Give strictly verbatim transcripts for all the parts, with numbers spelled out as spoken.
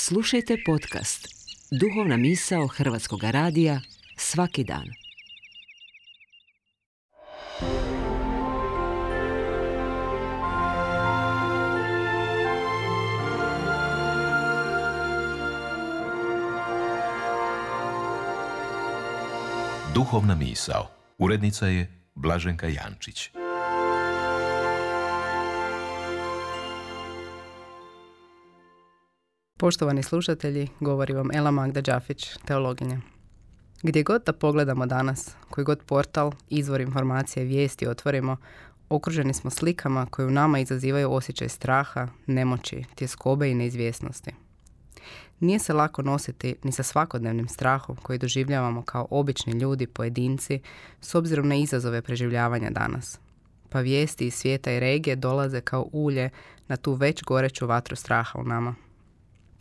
Slušajte podcast Duhovna misao Hrvatskog radija svaki dan. Duhovna misao. Urednica je Blaženka Jančić. Poštovani slušatelji, govori vam Ela Magda Đafić, teologinja. Gdje god da pogledamo danas, koji god portal, izvor informacije, vijesti otvorimo, okruženi smo slikama koje u nama izazivaju osjećaj straha, nemoći, tjeskobe i neizvjesnosti. Nije se lako nositi ni sa svakodnevnim strahom koji doživljavamo kao obični ljudi, pojedinci, s obzirom na izazove preživljavanja danas. Pa vijesti iz svijeta i regije dolaze kao ulje na tu već goreću vatru straha u nama.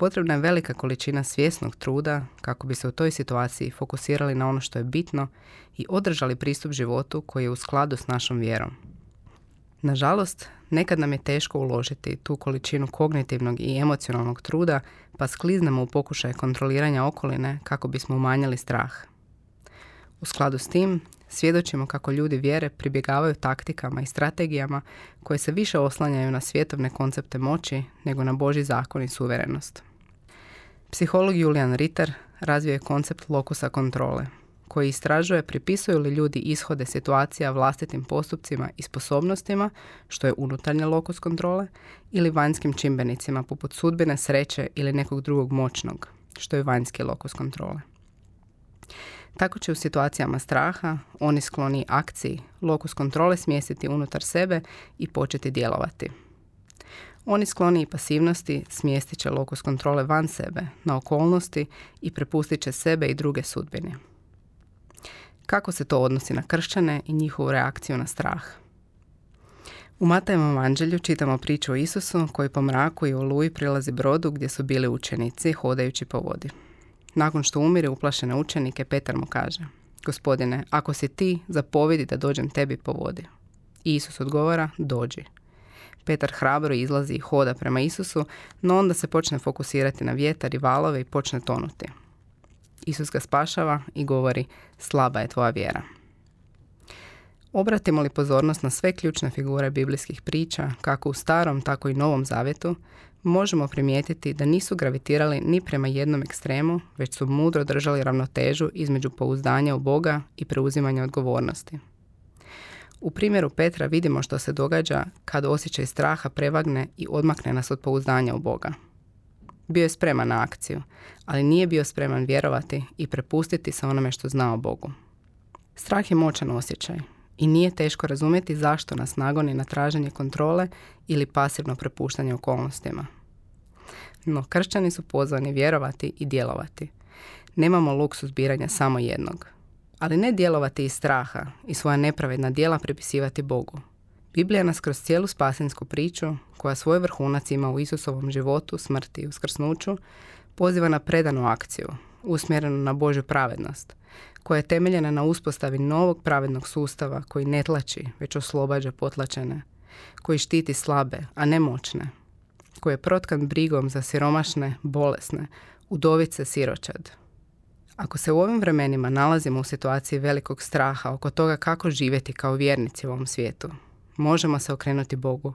Potrebna je velika količina svjesnog truda kako bi se u toj situaciji fokusirali na ono što je bitno i održali pristup životu koji je u skladu s našom vjerom. Nažalost, nekad nam je teško uložiti tu količinu kognitivnog i emocionalnog truda, pa skliznemo u pokušaj kontroliranja okoline kako bismo umanjili strah. U skladu s tim, svjedočimo kako ljudi vjere pribjegavaju taktikama i strategijama koje se više oslanjaju na svjetovne koncepte moći nego na Božji zakon i suverenost. Psiholog Julian Ritter razvio je koncept lokusa kontrole, koji istražuje pripisuju li ljudi ishode situacija vlastitim postupcima i sposobnostima, što je unutarnji lokus kontrole, ili vanjskim čimbenicima poput sudbine, sreće ili nekog drugog moćnog, što je vanjski lokus kontrole. Tako će u situacijama straha oni skloni akciji lokus kontrole smjestiti unutar sebe i početi djelovati. Oni skloni i pasivnosti smjestit će lokus kontrole van sebe, na okolnosti i prepustit će sebe i druge sudbini. Kako se to odnosi na kršćane i njihovu reakciju na strah? U Matajevom evanđelju čitamo priču o Isusu koji po mraku i oluji prilazi brodu gdje su bili učenici hodajući po vodi. Nakon što umire uplašene učenike, Petar mu kaže: Gospodine, ako si ti, zapovjedi da dođem tebi po vodi. I Isus odgovara: dođi. Petar hrabro izlazi i hoda prema Isusu, no onda se počne fokusirati na vjetar i valove i počne tonuti. Isus ga spašava i govori: slaba je tvoja vjera. Obratimo li pozornost na sve ključne figure biblijskih priča, kako u Starom, tako i Novom Zavjetu, možemo primijetiti da nisu gravitirali ni prema jednom ekstremu, već su mudro držali ravnotežu između pouzdanja u Boga i preuzimanja odgovornosti. U primjeru Petra vidimo što se događa kad osjećaj straha prevagne i odmakne nas od pouzdanja u Boga. Bio je spreman na akciju, ali nije bio spreman vjerovati i prepustiti se onome što zna o Bogu. Strah je moćan osjećaj i nije teško razumjeti zašto nas nagoni na traženje kontrole ili pasivno prepuštanje okolnostima. No, kršćani su pozvani vjerovati i djelovati. Nemamo luksuz biranja samo jednog. Ali ne djelovati iz straha i svoja nepravedna djela pripisivati Bogu. Biblija nas kroz cijelu spasinsku priču, koja svoj vrhunac ima u Isusovom životu, smrti i uskrsnuću, poziva na predanu akciju, usmjerenu na Božju pravednost, koja je temeljena na uspostavi novog pravednog sustava koji ne tlači, već oslobađa potlačene, koji štiti slabe, a ne moćne, koji je protkan brigom za siromašne, bolesne, udovice, siročad. Ako se u ovim vremenima nalazimo u situaciji velikog straha oko toga kako živjeti kao vjernici u ovom svijetu, možemo se okrenuti Bogu,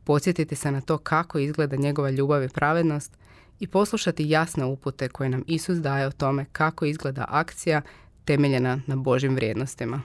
podsjetiti se na to kako izgleda njegova ljubav i pravednost i poslušati jasne upute koje nam Isus daje o tome kako izgleda akcija temeljena na Božjim vrijednostima.